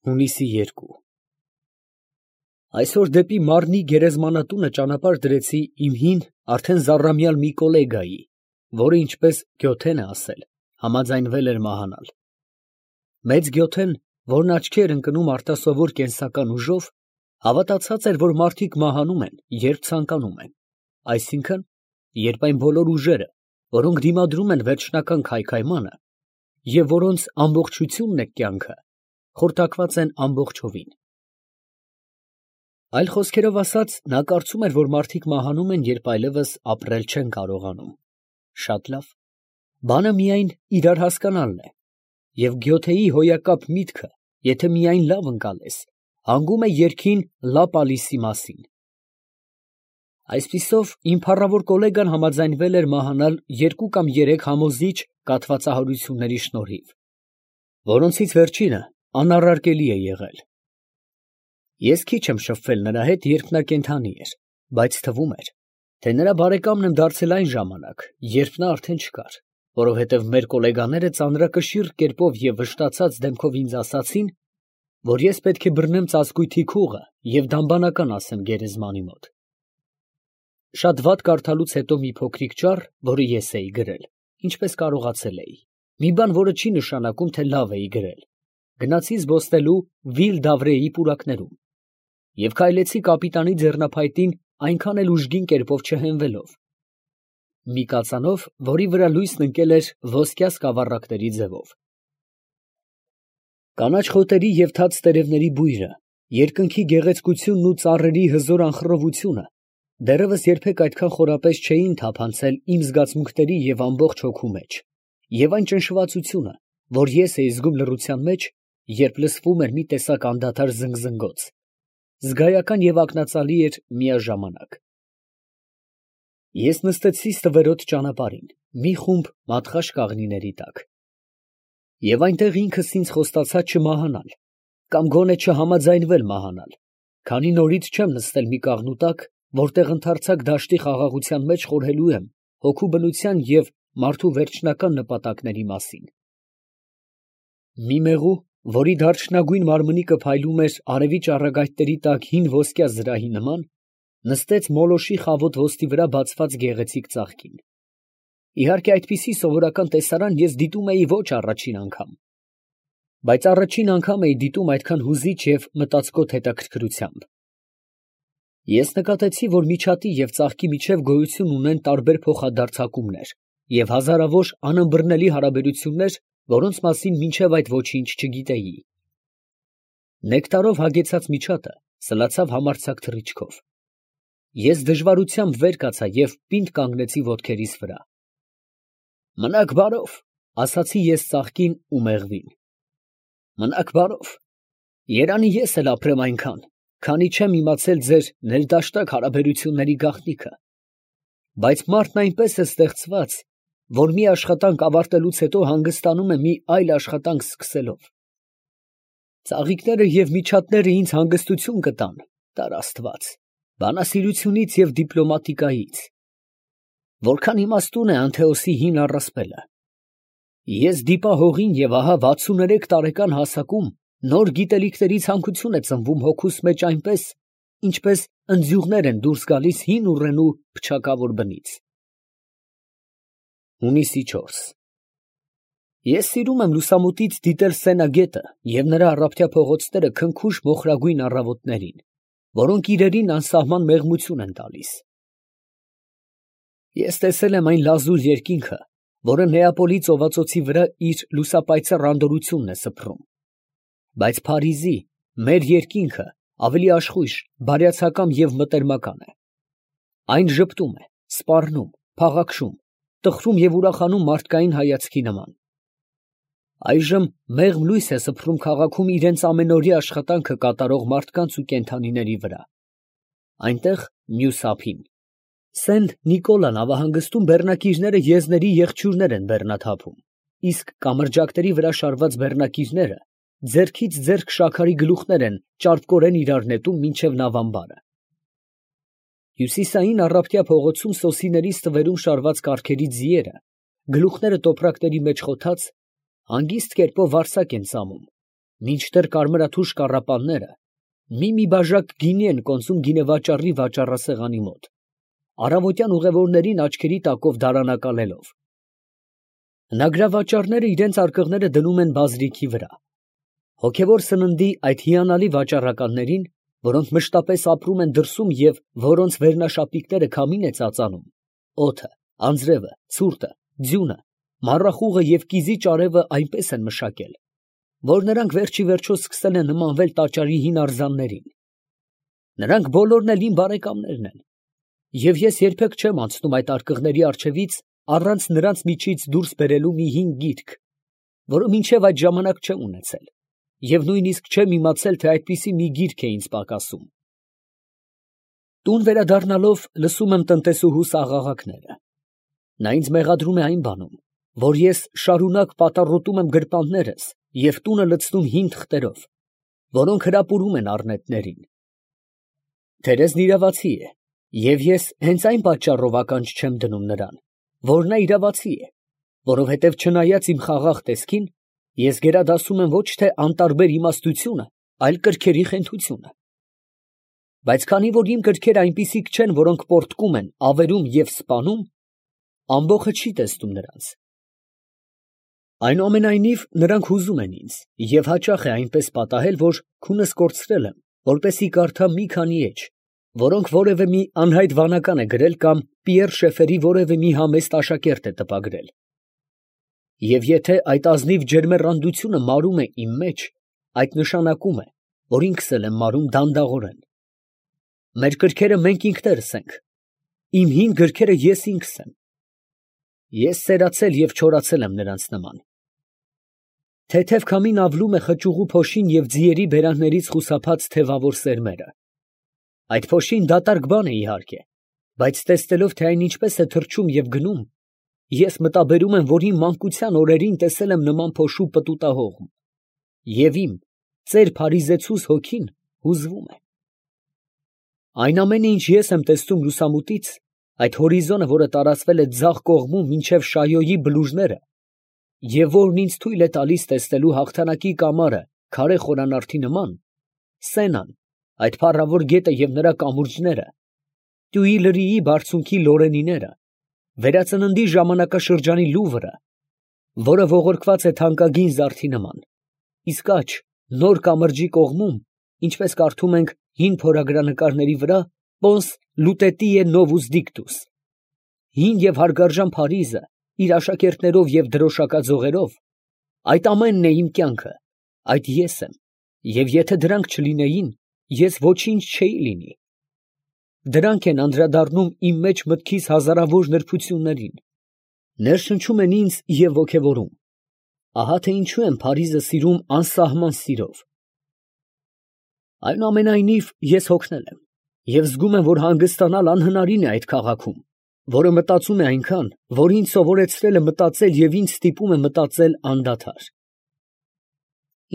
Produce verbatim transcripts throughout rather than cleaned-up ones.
Հունիսի երկու Այսօր դեպի Մարնի գերեզմանատունը ճանապարհ դրեցի իմ հին, արդեն զառամյալ մի կոլեգայի, որը, ինչպես Գյոթեն է ասել, համաձայնվել էր մահանալ։ Մեծ Գյոթեն, որն աչքի էր ընկնում արտասովոր կենսական ուժով, հավատացած էր, որ մարդիկ մահանում են, երբ ցանկանում են, այսինքն, երբ այն բոլոր ուժերը, որոնք դիմադրում են վերջնական քայքայմանը, և որոնց ամբողջությունն է կյանքը, խորտակված են ամբողջովին։ Այլ խոսքերով ասած, նա կարծում էր, որ մարդիկ մահանում են, երբ այլևս ապրել չեն կարողանում։ Շատ լավ, բանը միայն իրար հասկանալն է, և Գյոթեի հոյակապ միտքը, եթե միայն լավ ընկալես, հանգում է երգին Լա Պալիսի մասին։ Այսպիսով, իմ փառավոր կոլեգան համաձայնվել էր մահանալ երկու կամ երեք համոզիչ կաթվածահարությունների շնորհիվ, որոնցից վերջինը անառարկելի է եղել։ Ես քիչ եմ շփվել նրա հետ, երբ նա կենդանի էր, բայց թվում էր, թե նրա բարեկամն եմ դարձել այն ժամանակ, երբ նա արդեն չկար, որովհետև մեր կոլեգաները ծանրակշիռ կերպով և վշտացած դեմքով ինձ ասացին, որ ես պետք է բռնեմ ծածկույթի քուղը և դամբանական ասեմ գերեզմանի մոտ։ Շատ վատ կարդալուց հետո մի փոքրիկ ճառ, որը ես էի գրել, ինչպես կարողացել էի, մի բան, որը չի նշանակում, թե լավ էի գրել, գնացի զբոսնելու Վիլ Դավրեի պուրակներում և քայլեցի կապիտանի ձեռնափայտին այնքան էլ ուժգին կերպով չհենվելով, մի կածանով, որի վրա լույսն ընկել էր ոսկյա սկավառակների ձևով։ Կանաչ խոտերի և թաց տերևների բույրը, երկնքի գեղեցկությունն ու ծառերի հզոր անխռովությունը դեռևս երբեք այդքան խորապես չէին թափանցել իմ զգացմունքների և ամբողջ հոգու մեջ, և այն ճնշվածությունը, որ ես էի զգում լռության մեջ, երբ լսվում էր մի տեսակ անդադար զնգզնգոց, զգայական և ակնածալի էր միաժամանակ։ Ես նստեցի ստվերոտ ճանապարհին, մի խումբ մատխաշ կաղնիների տակ, և այնտեղ ինքս ինձ խոստացա չմահանալ, կամ գոնե չհամաձայնվել մահանալ, քանի նորից չեմ նստել մի կաղնու տակ, որտեղ ընդարձակ դաշտի խաղաղության մեջ խորհելու եմ հոգու բնության և մարդու վերջնական նպատակների մասին։ Մի մեղու, որի դարչնագույն մարմնիկը փայլում էր արևի ճառագայթների տակ հին ոսկյա զրահի նման, նստեց մոլոշի խավոտ ոսկի վրա բացված գեղեցիկ ծաղկին։ Իհարկե այդպիսի սովորական տեսարան ես դիտում էի ոչ առաջին անգամ, բայց առաջին անգամ էի դիտում այդքան հուզիչ և մտածկոտ հետաքրքրությամբ։ Ես նկատեցի, որ միջատի և ծաղկի միջև գոյություն ունեն տարբեր փոխադարձակումներ և հազարավոր անըմբռնելի հարաբերություններ, որոնց մասին մինչև այդ ոչինչ չգիտեի։ Նեկտարով հագեցած միջատը սլացավ համարձակ թռիչքով։ Ես դժվարությամբ վեր կացա և պինդ կանգնեցի ոտքերիս վրա։ «Մնաք բարով», ասացի ես ծաղկին ու մեղվին։ «Մնաք բարով, երանի ես էլ ապրեմ այնքան, քանի չեմ իմացել ձեր ներդաշնակ հարաբերությունների գաղտնիքը, բայց մարդն այնպես է ստեղծված, որ մի աշխատանք ավարտելուց հետո հանգստանում է մի այլ աշխատանք սկսելով։ Ծաղիկները և միջատները ինձ հանգստություն կտան, տար աստված, բանասիրությունից և դիպլոմատիկայից։ Որքան իմաստուն է Անթեոսի հին առասպելը. ես դիպա հողին և ահա վաթսուներեք տարեկան հասակում նոր գիտելիքների ցանկություն է ծնվում հոգուս մեջ այնպես, ինչպես ընձյուղներ են դուրս գալիս հին ուռենու փչակավոր բնից»։ Հունիսի չորս Ես սիրում եմ լուսամուտից դիտել Սենա գետը և նրա առափտյա փողոցները քնքուշ մոխրագույն առավոտներին, որոնք իրերին անսահման մեղմություն են տալիս։ Ես տեսել եմ այն լազուր երկինքը, որը Նեապոլի ծովածոցի վրա իր լուսապայծառ անդորրությունն է սփռում, բայց Փարիզի, մեր երկինքը ավելի աշխույժ, բարյացակամ և մտերմական է։ Այն ժպտում է, սպառնում, փաղաքշում, տխրում և ուրախանում մարդկային հայացքի նման։ Այժմ մեղմ լույս է սփռում քաղաքում իրենց ամենօրյա աշխատանքը կատարող մարդկանց ու կենդանիների վրա։ Այնտեղ, մյուս ափին, Սենտ Նիկոլա նավահանգստում բեռնակիրները եզների եղջյուրներ են բեռնաթափում, իսկ կամրջակների վրա շարված բեռնակիրները ձեռքից ձեռք շաքարի գլուխներ են ճարպկորեն իրար նետում մինչև նավամբարը։ Հյուսիսային առափտյա փողոցում սոսիների ստվերում շարված կառքերի ձիերը, գլուխները տոպրակների մեջ խոթած, հանգիստ կերպով վարսակ են ծամում, մինչդեռ կարմրաթուշ կառապանները մի-մի բաժակ գինի են կոնծում գինեվաճառի վաճառասեղանի մոտ, առավոտյան ուղևորներին աչքերի տակով դարանակալելով։ Հնագրավաճառները իրենց արկղները դնում են բազրիքի վրա։ Հոգևոր սննդի այդ հիանալի վաճառականներին, որոնք մշտապես ապրում են դրսում և որոնց վերնաշապիկները քամին է ծածանում, օդը, անձրևը, ցուրտը, ձյունը, մառախուղը և կիզի ճարևը այնպես են մշակել, որ նրանք վերջիվերջո սկսել են նմանվել տաճարի հին արձաններին։ Նրանք բոլորն էլ իմ բարեկամներն են, և ես երբեք չեմ անցնում այդ արկղների առջևից առանց նրանց միջից դուրս բերելու մի հին գիրք, որը մինչև այդ ժամանակ չեմ ունեցել, և նույնիսկ չեմ իմացել, թե այդպիսի մի գիրք է ինձ պակասում։ Տուն վերադառնալով լսում եմ տնտեսուհուս աղաղակները։ Նա ինձ մեղադրում է այն բանում, որ ես շարունակ պատառոտում եմ գրպաններս և տունը լցնում հին թղթերով, որոնք հրապուրում են առնետներին։ Թերեզն իրավացի է, և ես հենց այն պատճառով ականջ չեմ դնում նրան, որ նա իրավացի է, որովհետև չնայած իմ խաղաղ տեսքին, ես գերադասում եմ ոչ թե անտարբեր իմաստությունը, այլ կրքերի խենթությունը։ Բայց քանի որ իմ կրքերը այնպիսիք չեն, որոնք պոռթկում են, ավերում և սպանում, ամբոխը չի տեսնում նրանց։ Այնուամենայնիվ, նրանք հուզում են ինձ, և հաճախ է այնպես պատահել, որ քունս կորցրել եմ, որպեսզի կարդամ մի քանի էջ, որոնք որևէ մի անհայտ վանական է գրել կամ Պիեռ Շեֆերի որևէ մի համեստ աշակերտ է տպագրել։ Եվ եթե այդ ազնիվ ջերմեռանդությունը մարում է իմ մեջ, այդ նշանակում է, որ ինքս էլ եմ մարում դանդաղորեն։ Մեր կրքերը մենք ինքներս ենք, իմ հին գրքերը ես ինքս եմ։ Ես սերացել և չորացել եմ նրանց նման։ Թեթև քամին ավլում է խճուղու փոշին և ձիերի բերաններից խուսափած թևավոր սերմերը։ Այդ փոշին դատարկ բան է իհարկե, բայց տեսնելով, թե այն ինչպես է թռչում և գնում, ես մտաբերում եմ, որ իմ մանկության օրերին տեսել եմ նման փոշու պտուտահողմ, և իմ ծեր փարիզեցուս հոգին հուզվում է։ Այն ամենը, ինչ ես եմ տեսնում լուսամուտից, այդ հորիզոնը, որը տարածվել է ձախ կողմում մինչև Շայոյի բլուրները, և որն ինձ թույլ է տալիս տեսնելու հաղթանակի կամարը քարե խորանարդի նման, Սենան, այդ փառավոր գետը և նրա կամուրջները, Տյուիլրիի բարձունքի Լորենիները, վերածննդի ժամանակաշրջանի Լուվրը, որը ողորկված է թանկագին զարդի նման, իսկ աջ, նոր կամրջի կողմում, ինչպես կարդում ենք հին փորագրանկարների վրա, Պոնս Լուտետիե Նովուս Դիկտուս, հին և հարգարժան Փարիզը իր աշակերտներով և դրոշակաձողերով, այդ ամենն է իմ կյանքը, այդ ես եմ, և եթե դրանք չլինեին, ես ոչինչ չէի լինի։ Դրանք են անդրադառնում իմ մեջ մտքիս հազարավոր նրբություններին, ներշնչում են ինձ և ոգևորում։ Ահա թե ինչու եմ Փարիզը սիրում անսահման սիրով։ Այնուամենայնիվ, ես հոգնել եմ և զգում եմ, որ հանգստանալ անհնարին է այդ քաղաքում, որը մտածում է այնքան, որ ինձ սովորեցրել է մտածել և ինձ ստիպում է մտածել անդադար։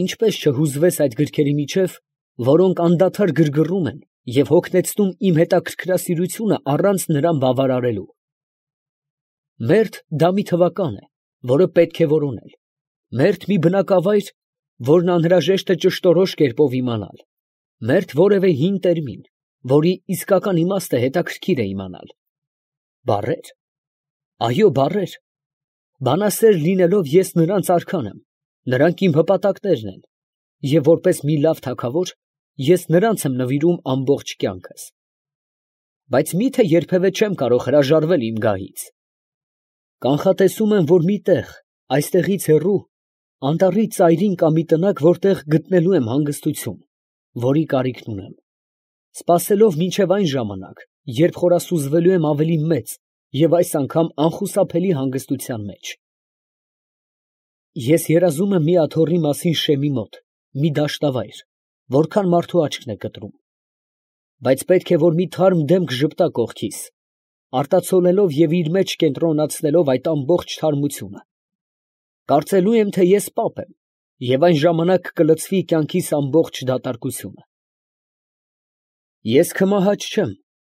Ինչպես չհուզվես այդ գրքերի միջև, որոնք անդադար գրգռում են և հոգնեցնում իմ հետաքրքրասիրությունը առանց նրան բավարարելու։ Մերթ դա մի թվական է, որը պետք է որոնել, մերթ մի բնակավայր, որն անհրաժեշտ է ճշտորոշ կերպով իմանալ, մերթ որևէ հին տերմին, որի իսկական իմաստը հետաքրքիր է իմանալ։ Բառեր, այո, բառեր, բանասեր լինելով ես նրանց արքան եմ, նրանք իմ հպատակներն են, և որպես մի լավ թագավոր ես նրանց եմ նվիրում ամբողջ կյանքս։ Բայց մի՞թե երբևէ չեմ կարող հրաժարվել իմ գահից։ Կանխատեսում եմ, որ մի տեղ, այստեղից հեռու, անտառի ծայրին կա մի տնակ, որտեղ գտնելու եմ հանգստություն, որի կարիքն ունեմ, սպասելով մինչև այն ժամանակ, երբ խորասուզվելու եմ ավելի մեծ և այս անգամ անխուսափելի հանգստության մեջ։ Ես երազում եմ մի աթոռի մասին Շեմի մոտ, մի դաշտավայր, որքան մարդու աչքն է կտրում, բայց պետք է, որ մի թարմ դեմք ժպտա կողքիս, արտացոլելով և իր մեջ կենտրոնացնելով այդ ամբողջ թարմությունը։ Կարծելու եմ, թե ես պապ եմ, և այն ժամանակ կլցվի կյանքիս ամբողջ դատարկությունը։ Ես քմահաճ չեմ,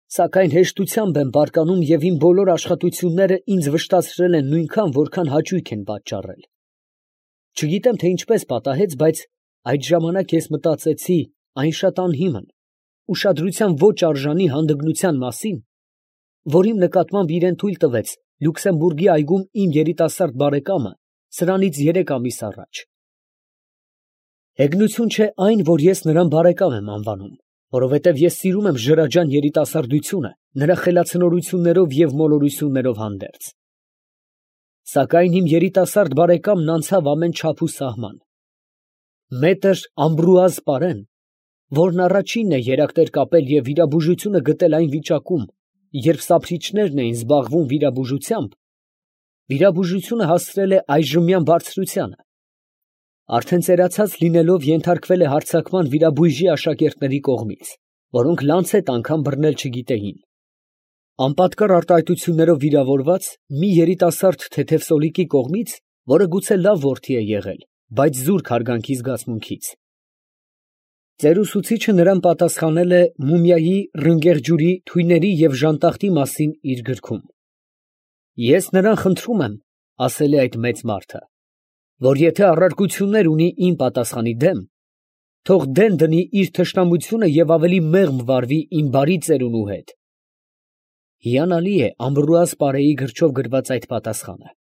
սակայն հեշտությամբ եմ բարկանում և իմ բոլոր աշխատությունները ինձ վշտացրել են նույնքան, որքան հաճույք են պատճառել։ Չգիտեմ, թե ինչպես պատահեց, բայց Այդ ժամանակ ես մտածեցի այն շատ անհիմն, ուշադրության ոչ արժանի հանդգնության մասին, որ իմ նկատմամբ իրան թույլ տվեց Լյուքսեմբուրգի այգում իմ երիտասարդ բարեկամը սրանից երեք ամիս առաջ։ Հեգնություն չէ այն, որ ես նրան բարեկամ եմ անվանում, որովհետև ես սիրում եմ ժրաջան երիտասարդությունը նրա խելացնորություններով և մոլորություններով հանդերձ։ Սակայն իմ երիտասարդ բարեկամն անցավ ամեն չափ ու սահման։ Մետր Ամբրուազ Պարեն, որն առաջինն է երակտեր կապել և վիրաբուժությունը գտել այն վիճակում, երբ սափրիչներն էին զբաղվում վիրաբուժությամբ, վիրաբուժությունը հասցրել է այժմյան բարձրությանը, արդեն ծերացած լինելով ենթարկվել է հարձակման վիրաբույժի աշակերտների կողմից, որոնք լանցետ անգամ բռնել չգիտեին։ Անպատկառ արտահայտություններով վիրավորված մի երիտասարդ թեթև սոլիկի կողմից, որը գուցե լավ որդի է եղել, բայց զուրկ հարգանքի զգացմունքից։ Ծեր ուսուցիչը նրան պատասխանել է մումիայի ռնգեղջյուրի թույների և ժանտախտի մասին իր գրքում։ Ես նրան խնդրում եմ, ասել է այդ մեծ մարդը, որ եթե առարկություններ ունի իմ պատասխանի դեմ, թող դեն դնի իր թշնամությունը և ավելի մեղմ վարվի իմ բարի ծերունու հետ։ Հիանալի է Ամբրուազ Պարեի գրչով գրված այդ պատասխանը,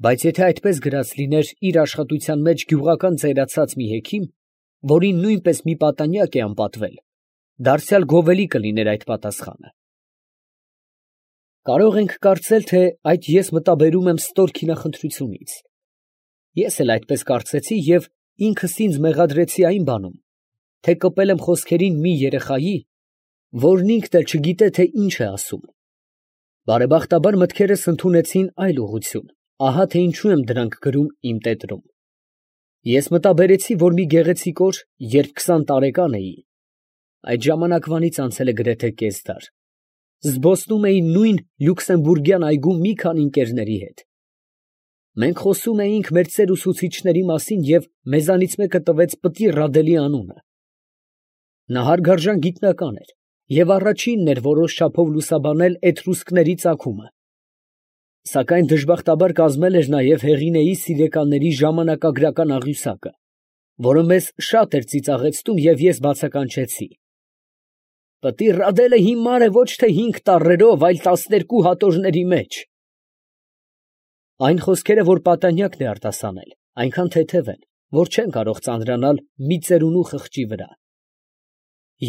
բայց եթե այդպես գրած լիներ իր աշխատության մեջ գյուղական ծերացած մի հեքիմ, որին նույնպես մի պատանյակ է անպատվել, դարձյալ գովելի կլիներ այդ պատասխանը։ Կարող ենք կարծել, թե այդ ես մտաբերում եմ ստոր քինախնդրությունից։ Ես էլ այդպես կարծեցի և ինքս ինձ մեղադրեցի այն բանում, թե կպել եմ խոսքերին մի երեխայի, որն ինքն էլ չգիտե, թե ինչ է ասում։ Բարեբախտաբար մտքերս ընդունեցին այլ ուղղություն, ահա թե ինչու եմ դրանք գրում իմ տետրում։ Ես մտաբերեցի, որ մի գեղեցիկ օր, երբ քսան տարեկան էի, այդ ժամանակվանից անցել է գրեթե կես դար, զբոսնում էի նույն Լյուքսեմբուրգյան այգում մի քանի ընկերների հետ։ Մենք խոսում էինք մեր ծեր ուսուցիչների մասին և մեզանից մեկը տվեց Պտի Ռադելի անունը։ Նա հարգարժան գիտնական էր և առաջինն էր որոշ չափով լուսաբանել էտրուսկների ծագումը, սակայն դժբախտաբար կազմել էր նաև Հեղինեի սիրեկանների ժամանակագրական աղյուսակը, որը մեզ շատ էր ծիծաղեցնում և ես բացականչեցի. «Պտի Ռադելը հիմար է ոչ թե հինգ տառերով, այլ տասներկու հատորների մեջ»։ Այն խոսքերը, որ պատանյակն է արտասանել, այնքան թեթև են, որ չեն կարող ծանրանալ մի ծերունու խղճի վրա։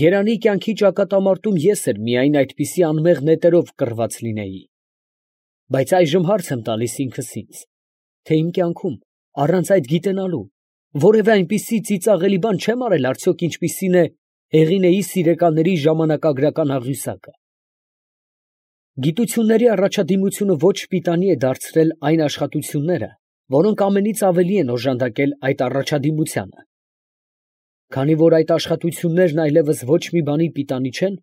Երանի կյանքի ճակատամարտում ես էլ միայն այդպիսի անմեղ նետերով կռված լինեի։ Բայց այժմ հարց եմ տալիս ինքս ինձ, թե իմ կյանքում, առանց այդ գիտենալու, որևէ այնպիսի ծիծաղելի բան չեմ արել արդյոք, ինչպիսին է Հեղինեի սիրեկանների ժամանակագրական աղյուսակը։ Գիտությունների առաջադիմությունը ոչ պիտանի է դարձրել այն աշխատությունները, որոնք ամենից ավելի են օժանդակել այդ առաջադիմությանը։ Քանի որ այդ աշխատություններն այլևս ոչ մի բանի պիտանի չեն,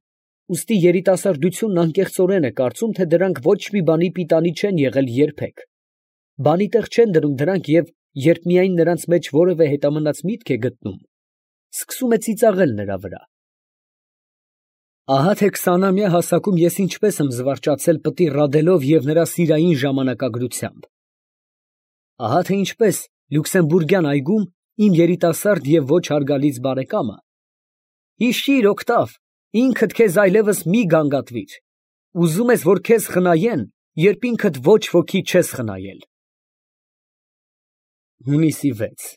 ուստի երիտասարդությունն անկեղծորեն է կարծում, թե դրանք ոչ մի բանի պիտանի չեն եղել երբեք, բանի տեղ չեն դնում դրանք և երբ միայն նրանց մեջ որևէ հետամնաց միտք է գտնում, սկսում է ծիծաղել նրա վրա։ Ահա թե քսանամյա հասակում ես ինչպես եմ զվարճացել Պտի Ռադելով և նրա սիրային ժամանակագրությամբ։ Ահա թե ինչպես Լյուքսեմբուրգյան այգում իմ երիտասարդ և ոչ հարգալից բարեկամը, հիշի՛ր, Օգտավ, ինքդ քեզ այլևս մի գանգատվիր, ուզում ես, որ քեզ խնայեն, երբ ինքդ ոչ ոքի չես խնայել։ Հունիսի վեց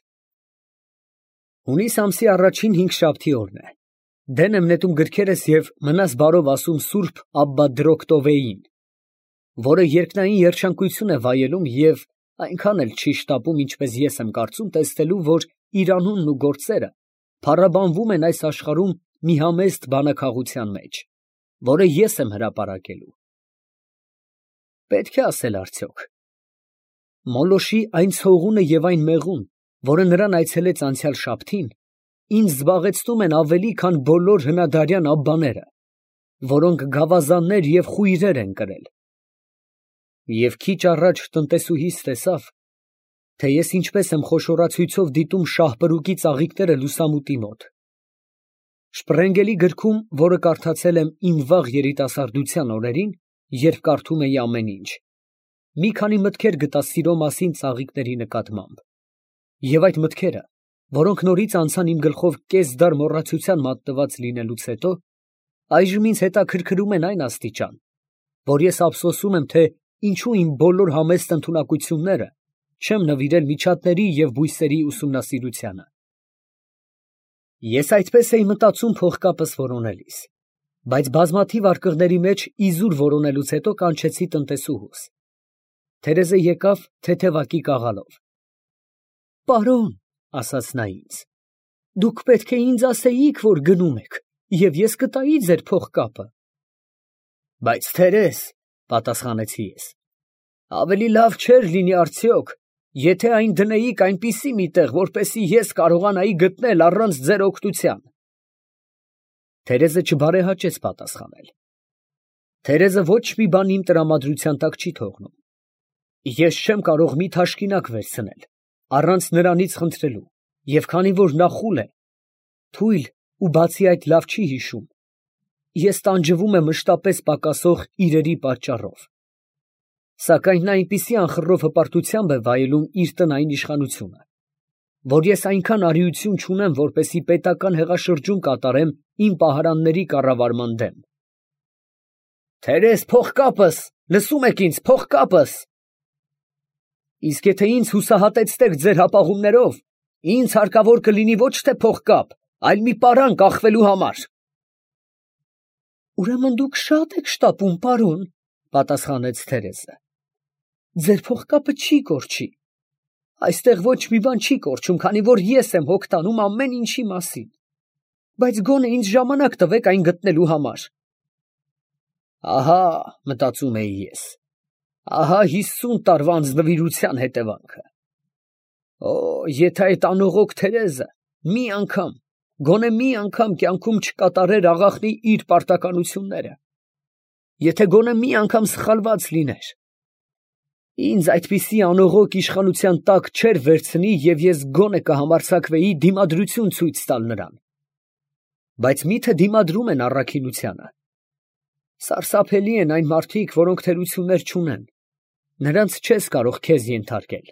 Հունիս ամսի առաջին հինգշաբթի օրն է։ Դեն եմ նետում գրքերս և մնաս բարով ասում սուրբ Աբբա Դրոկտովեին, որը երկնային երջանկություն է վայելում և այնքան էլ չի շտապում, ինչպես ես եմ կարծում, տեսնելու, որ իր անունն ու գործերը փառաբանվում են այս աշխարհում մի համեստ բանաքաղության մեջ, որը ես եմ հրապարակելու։ Պետք է ասել արդյոք. Մոլոշի այն ցողունը և այն մեղուն, որը նրան այցելեց անցյալ շաբթին, ինձ զբաղեցնում են ավելի, քան բոլոր հնադարյան աբբաները, որոնք գավազաններ և խույրեր են կրել։ Եվ քիչ առաջ տնտեսուհիս տեսավ, թե ես ինչպես եմ խոշորացույցով դիտում շահպրուկի ծաղիկները լուսամուտի մոտ։ Շպրենգելի գրքում, որը կարդացել եմ իմ վաղ երիտասարդության օրերին, երբ կարդում էի ամեն ինչ, մի քանի մտքեր գտա սիրո մասին ծաղիկների նկատմամբ, և այդ մտքերը որոնք նորից անցան իմ գլխով կեսդար մոռացության մատնված լինելուց հետո, այժմ ինձ հետաքրքրում են այն աստիճան, որ ես ափսոսում եմ, թե ինչու իմ բոլոր համեստ ընդունակությունները չեմ նվիրել միջատների և բույսերի ուսումնասիրությանը։ Ես այդպես էի մտածում փողկապս որոնելիս, բայց բազմաթիվ արկղների մեջ իզուր որոնելուց հետո կանչեցի տնտեսուհուս։ Թերեզը եկավ թեթևակի կաղալով։ «Պարոն», ասաց նա ինձ, «դուք պետք է ինձ ասեիք, որ գնում եք, և ես կտայի ձեր փողկապը»։ «Բայց Թերեզ», պատասխանեցի ես, «ավելի լավ չէր լինի արդյոք, եթե այն դնեիք այնպիսի մի տեղ, որպեսզի ես կարողանայի գտնել առանց ձեր օգնության»։ Թերեզը չբարեհաճեց պատասխանել։ Թերեզը ոչ մի բան իմ տրամադրության տակ չի թողնում։ Ես չեմ կարող մի թաշկինակ վերցնել, առանց նրանից խնդրելու, և քանի որ նա խուլ է, թույլ ու բացի այդ լավ չի հիշում, ես տանջվում եմ մշտապես պակասող իրերի պատճառով։ Սակայն նա այնպիսի անխռով հպարտությամբ է վայելում իր տնային իշխանությունը, որ ես այնքան արիություն չունեմ, որպեսզի պետական հեղաշրջում կատարեմ իմ պահարանների կառավարման դեմ։ «Թերեզ, փողկապս, լսում եք ինձ, փողկապս»։ Իսկ եթե ինձ հուսահատեցնեք ձեր հապաղումներով, ինձ հարկավոր կլինի ոչ թե փողկապ, այլ մի պարան կախվելու համար։ «Ուրեմն դուք շատ եք շտապում, պարոն», պատասխանեց Թերեզը։ «Ձեր փողկապը չի կորչի։ Այստեղ ոչ մի բան չի կորչում, քանի որ ես եմ հոգ տանում ամեն ինչի մասին։ Բայց գոնե ինձ ժամանակ տվեք այն գտնելու համար»։ Ահա, մտածում էի ես, ահա հիսուն տարվա անձնվիրության հետևանքը։ Օ, եթե այդ անողոք Թերեզը մի անգամ, գոնե մի անգամ կյանքում չկատարեր աղախնի իր պարտականությունները, եթե գոնե մի անգամ սխալված լիներ, ինձ այդպիսի անողոք իշխանության տակ չէր վերցնի և ես գոնե կհամարձակվեի դիմադրություն ցույց տալ նրան։ Բայց միթե դիմադրում են առաքինությանը։ Սարսափելի են այն մարդիկ, որոնք թերություններ չունեն, նրանց չես կարող քեզ ենթարկել։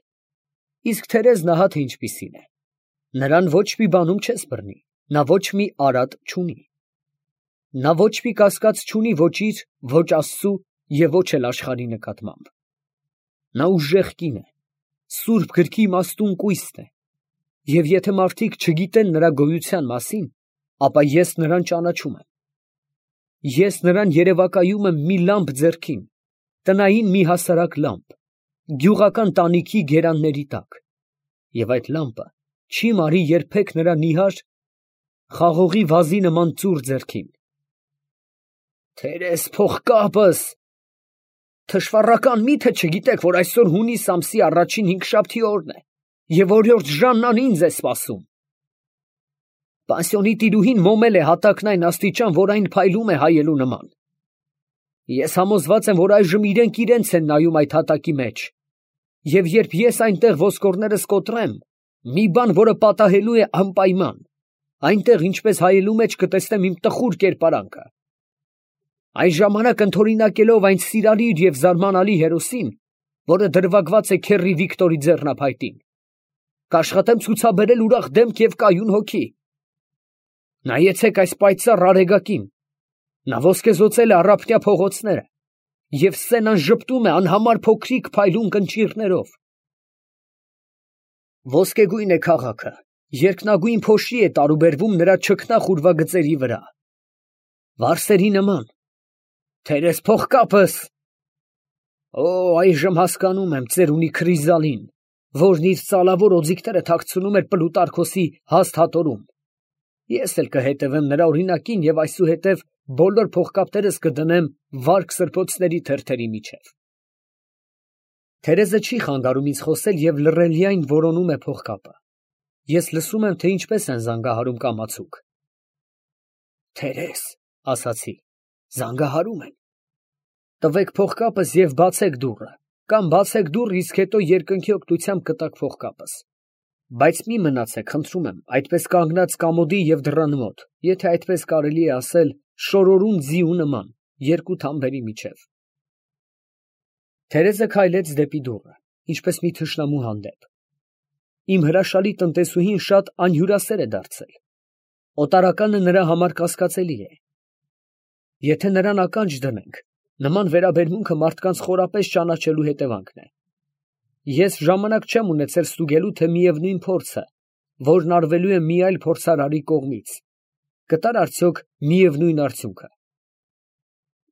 Իսկ Թերեզն ահա թե ինչպիսին է, նրան ոչ մի բանում չես բռնի, նա ոչ մի արատ չունի։ Նա ոչ մի կասկած չունի ոչ իր, ոչ Աստծու և ոչ էլ աշխարհի նկատմամբ։ Նա ուժեղ կին է, սուրբ գրքի իմաստուն կույսն է, և եթե մարդիկ չգիտեն նրա գոյության մասին, ապա ես նրան ճանաչում եմ։ Ես նրան երևակայում եմ մի լամպ ձեռքին, տնային մի հասարակ լամպ, գյուղական տանիքի գերանների տակ, և այդ լամպը չի մարի երբեք նրա նիհար, խաղողի վազի նման ծուռ ձեռքին։ «Թերեզ, փողկապս, թշվառական մի՞թե չգիտեք, որ այսօր հունիս ամսի առաջին հինգշաբթի օրն է, և օրիորդ Ժաննան ինձ է սպասում։ Պանսիոնի տիրուհին մոմել է հատակն այն աստիճան, որ այն փայլում է հայելու նման։ Ես համոզված եմ, որ այժմ իրենք իրենց են նայում այդ հատակի մեջ, և երբ ես այնտեղ ոսկորներս կոտրեմ, մի բան, որը պատահելու է անպայման, այնտեղ ինչպես հայելու մեջ կտեսնեմ իմ տխուր կերպարանքը։ Այն ժամանակ ընդօրինակելով այն սիրալիր և զարմանալի հերոսին, որը դրվագված է քեռի Վիկտորի ձեռնափայտին, կաշխատեմ ցուցաբերել ուրախ դեմք և կայուն հոգի։ Նայեցեք այս պայծառ արեգակին, նա ոսկեզօծել է առափնյա փողոցները, և սցենան ժպտում է անհամար փոքրիկ փայլուն կնճիռներով։ Ոսկեգույն է քաղաքը, երկնագույն փոշի է տարուբերվում նրա չքնաղ ուրվագծերի վրա։ Վարսերի նման։ Թերեզ, փողկապս։ Օ, այժմ հասկանում եմ ծերունի Քրիզալին, որն իր ծալավոր օձիքները թաքցնում էր Պլուտարքոսի հաստ հատորում։ Ես էլ կհետևեմ նրա օրինակին և այսուհետև բոլոր փողկապներս կդնեմ վարք սրբոցների թերթերի միջև։ Թերեզը չի խանգարում ինձ խոսել և լռելիայն որոնում է փողկապը։ Ես լսում եմ, թե ինչպես են զանգահարում կամացուկ։ Թերեզ, ասացի, զանգահարում են։ Տվեք փողկապս և բացեք դուռը, կամ բացեք դուռը, իսկ հետո երկնքի օգնությամբ կտաք փողկապս։ Բայց մի մնացեք, խնդրում եմ, այդպես կանգնած կամոդի և դռան մոտ, եթե այդպես կարելի է ասել, շորորուն ձիու նման, երկու թամբերի միջև։ Թերեզը քայլեց դեպի դուռը, ինչպես մի թշնամու հանդեպ։ իմ հրաշալի տնտեսուհին շատ անհյուրասեր է դարձել, օտարականը նրա համար կասկածելի է։ Եթե նրան ականջ դնենք, նման վերաբերմունքը մարդկանց խորապես ճանաչելու հետևանքն է։ Ես ժամանակ չեմ ունեցել ստուգելու, թե միևնույն փորձը, որն արվելու է մի այլ փորձարարի կողմից, կտար արդյոք միևնույն արդյունքը։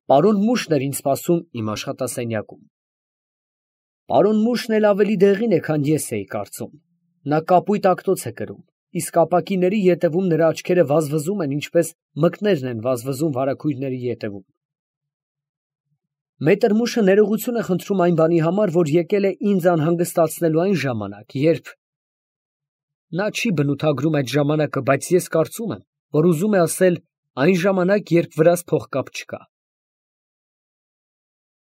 Պարոն Մուշն էր ինձ սպասում իմ աշխատասենյակում։ Պարոն Մուշն էլ ավելի դեղին է, քան ես էի կարծում. նա կապույտ ակտոց է կրում, իսկ ապակիների ետևում նրա աչքերը վազվզում են, ինչպես մկներն են վազվզում վարագույրների ետևում։ Մետր Մուշը ներողություն է խնդրում այն բանի համար, որ եկել է ինձ անհանգստացնելու այն ժամանակ, երբ… Նա չի բնութագրում այդ ժամանակը, բայց ես կարծում եմ, որ ուզում է ասել այն ժամանակ, երբ վրաս փողկապ չկա։